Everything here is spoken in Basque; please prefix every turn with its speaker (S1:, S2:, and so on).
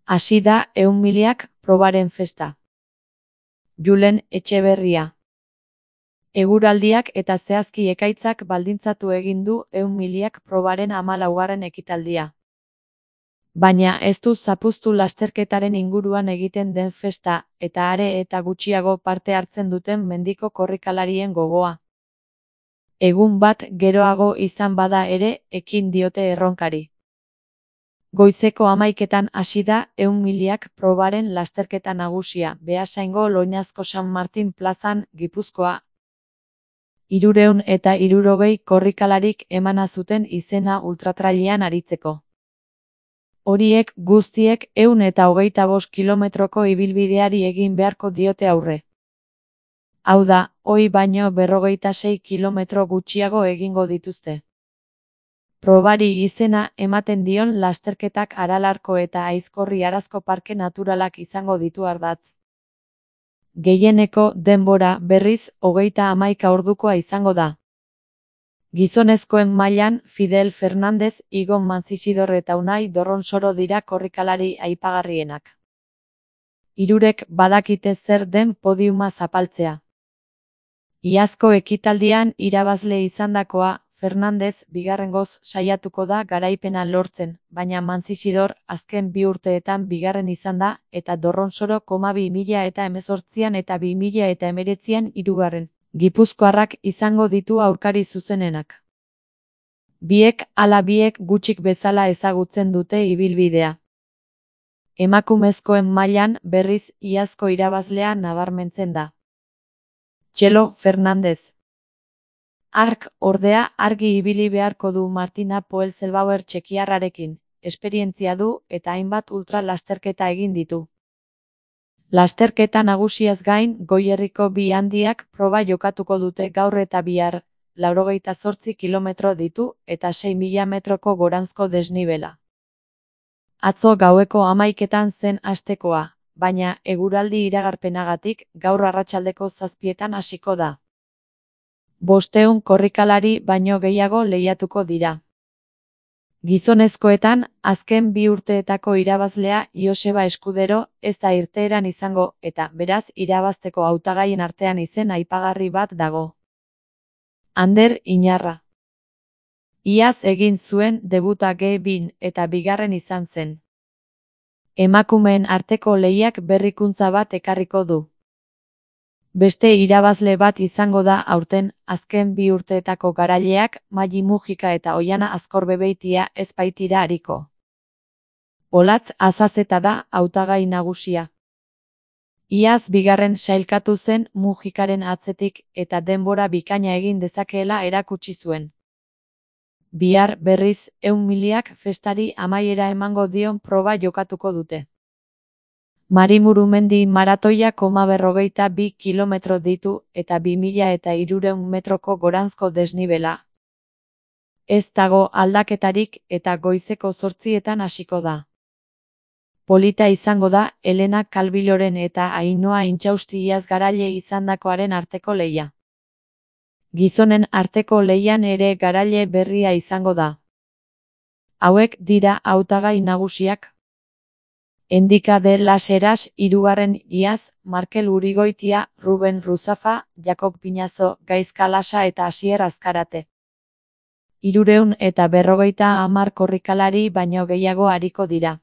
S1: Hasi da 100.000ak probaren festa. Julen Etxeberria. Eguraldiak eta zehazki ekaitzak baldintzatu egin du 100.000ak probaren 14. ekitaldia. Baina ez du zapuztu lasterketaren inguruan egiten den festa, eta are eta gutxiago parte hartzen duten mendiko korrikalarien gogoa. Egun bat geroago izan bada ere, ekin diote erronkari. Goizeko 11etan hasi da 100.000ak probaren lasterketa nagusia, Beasaingo Loñazko San Martin plazan, Gipuzkoa. 360 korrikalarik emana zuten izena ultratrailean aritzeko. Horiek guztiek 125 kilometroko ibilbideari egin beharko diote aurre. Hau da, ohi baino 56 kilometro gutxiago egingo dituzte. Probari izena ematen dion lasterketak Aralarko eta Aizkorri Arazko Parke Naturalak izango ditu ardatz. Gehieneko denbora berriz 31 ordukoa izango da. Gizonezkoen mailan Fidel Fernandez, Igon Manzisidor eta Unai Dorronsoro dira korrikalari aipagarrienak. Hirurek badakite zer den podiuma zapaltzea. Iazko ekitaldian irabazle izandakoa, Fernandez bigarrengoz saiatuko da garaipena lortzen, baina Manzisidor azken 2 urteetan bigarren izan da, eta Dorronsoro 2018an eta 2019an hirugarren. Gipuzkoarrak izango ditu aurkari zuzenenak. Biek ala biek gutxik bezala ezagutzen dute ibilbidea. Emakumezkoen mailan berriz iazko irabazlea nabarmentzen da. Txelo Fernandez. Hark, ordea, argi ibili beharko du Martina Poelzelbauer txekiarrarekin, esperientzia du eta hainbat ultra lasterketa egin ditu. Lasterketa nagusiaz gain, Goierriko bi handiak proba jokatuko dute gaur eta bihar, 98 kilometro ditu eta 6.000 metroko goranzko desnibela. Atzo gaueko 11etan zen hastekoa, baina eguraldi iragarpenagatik gaur arratsaldeko 7etan hasiko da. 500 korrikalari baino gehiago lehiatuko dira. Gizonezkoetan, azken 2 urteetako irabazlea Joseba Eskudero ez da irteeran izango eta, beraz, irabazteko hautagaien artean izen aipagarri bat dago. Ander Inarra. Iaz egin zuen debuta G2 eta bigarren izan zen. Emakumeen arteko lehiak berrikuntza bat ekarriko du. Beste irabazle bat izango da aurten, azken 2 urteetako garaileak, Maili Mujika eta Oiana Azkorbebeitia ez baitira ariko. Olatz Azazeta da hautagai nagusia. Iaz bigarren sailkatu zen Mujikaren atzetik eta denbora bikaina egin dezakeela erakutsi zuen. Bihar berriz 100.000ak festari amaiera emango dion proba jokatuko dute. Marimurumendi maratoia 52 kilometro ditu eta 2.300 metroko goranzko desnibela. Ez dago aldaketarik eta goizeko 8etan hasiko da. Polita izango da Elena Kalbiloren eta Ainhoa Intxausti iaz garaile izandakoaren arteko lehia. Gizonen arteko lehian ere garaile berria izango da. Hauek dira hautagai nagusiak. Endika de las Heras, 3. iaz, Markel Urigoitia, Ruben Ruzafa, Jakob Pinazo, Gaizka Lasa eta Asier Azkarate. 350 korrikalari baino gehiago ariko dira.